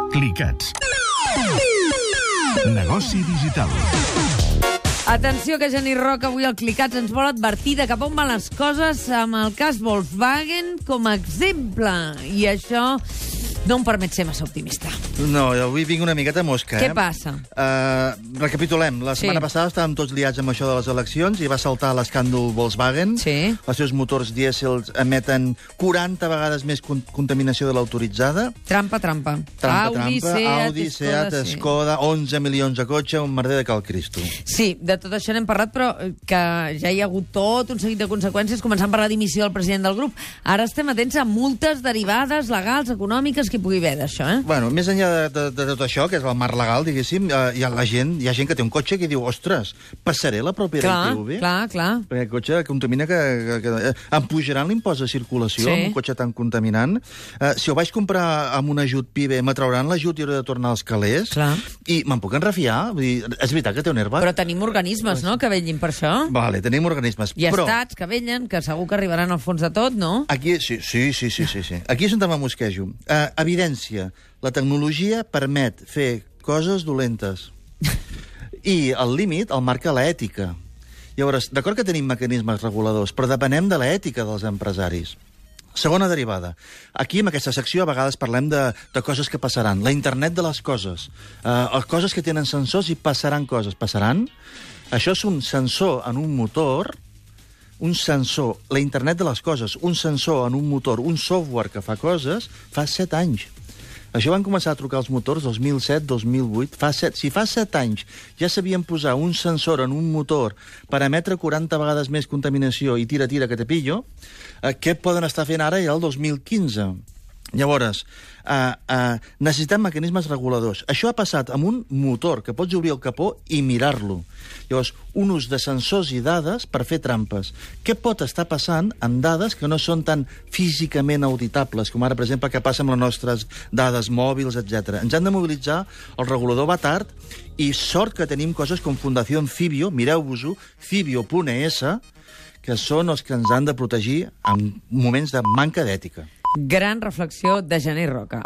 Clicats. Negoci digital. Atenció, que Genís Roca avui al Clicats ens vol advertir de cap on van les coses amb el cas Volkswagen com a exemple. I això no em permet ser massa optimista. No, avui vinc una miqueta mosca, Què passa? Recapitulem. La setmana passada estàvem tots liats amb això de les eleccions i va saltar l'escàndol Volkswagen. Sí. Els seus motors dièsel emeten 40 vegades més contaminació de l'autoritzada. Trampa. Audi, Seat, Skoda, 11 milions de cotxe, un merder de cal Cristo. Sí, de tot això n'hem parlat, però que ja hi ha hagut tot un seguit de conseqüències, començant per la dimissió del president del grup. Ara estem atents a multes derivades, legals, econòmiques, que hi pugui haver d'això, Bueno, més enllà de tot això, que és el marc legal, diguéssim, hi ha gent que té un cotxe que diu, ostres, passaré la pròpia ITV? Clar. Perquè el cotxe contamina que em pujaran l'impost de circulació amb un cotxe tan contaminant. Si ho vaig comprar amb un ajut PIBE, me trauran l'ajut i hauré de tornar als calés. Clar. I me'n puc enrefiar? Vull dir, és veritat que té un airbag? Però tenim organismes, no?, que vetllin per això. Vale, tenim organismes. I estats que vetllen, que segur que arribaran al fons de tot, no? Aquí, sí. Aquí és on me mosquejo. Evidència. La tecnologia permet fer coses dolentes. I el límit el marca l'ètica. Llavors, d'acord que tenim mecanismes reguladors, però depenem de l'ètica dels empresaris. Segona derivada. Aquí, en aquesta secció, a vegades parlem de coses que passaran. La internet de les coses. Coses que tenen sensors i passaran coses. Passaran? Això és un sensor en un motor, la internet de les coses, un sensor en un motor, un software que fa coses, fa 7 anys. Això van començar a trucar els motors 2007-2008. Si fa 7 anys ja sabien posar un sensor en un motor per emetre 40 vegades més contaminació i tira que te pillo, què poden estar fent ara ja el 2015? Llavors, necessitem mecanismes reguladors. Això ha passat amb un motor, que pots obrir el capó i mirar-lo. Llavors, un ús de sensors i dades per fer trampes. Què pot estar passant amb dades que no són tan físicament auditables, com ara, per exemple, què passa amb les nostres dades mòbils, etc. Ens han de mobilitzar, el regulador va tard, i sort que tenim coses com Fundació Cibio, mireu-vos-ho, cibio.es, que són els que ens han de protegir en moments de manca d'ètica. Gran reflexió de Genís Roca.